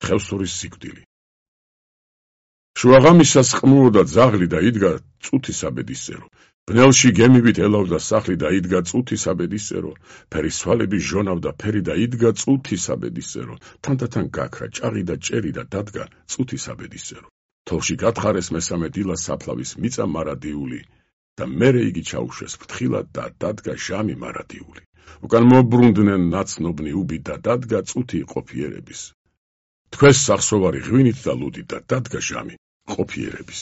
ხევსურის სიკვდილი. შუაღამისას ყმუროდა ძაღლი და იდგა წუთისაბედისწერო. ბნელში გემივით ელავდა სახლი და იდგა წუთისაბედისწერო. ფერისვალები ჟონავდა ფერი და იდგა წუთისაბედისწერო. თანდათან გაქრა ჭაღი და ჭერი და დადგა წუთისაბედისწერო. თოლში გათხარეს მესამე დილას საფლავის მიწა მარადიული და მერე იგი ჩაუშვეს ფრთხილად და დადგა ჟამი მარადიული. უკან მობრუნდნენ ნაცნობნი უბი და დადგა წუთი ყოფიერების. თქვეს სახსოვარი ღვინით და ლუდით და დადგა ჟამი ყოფიერების.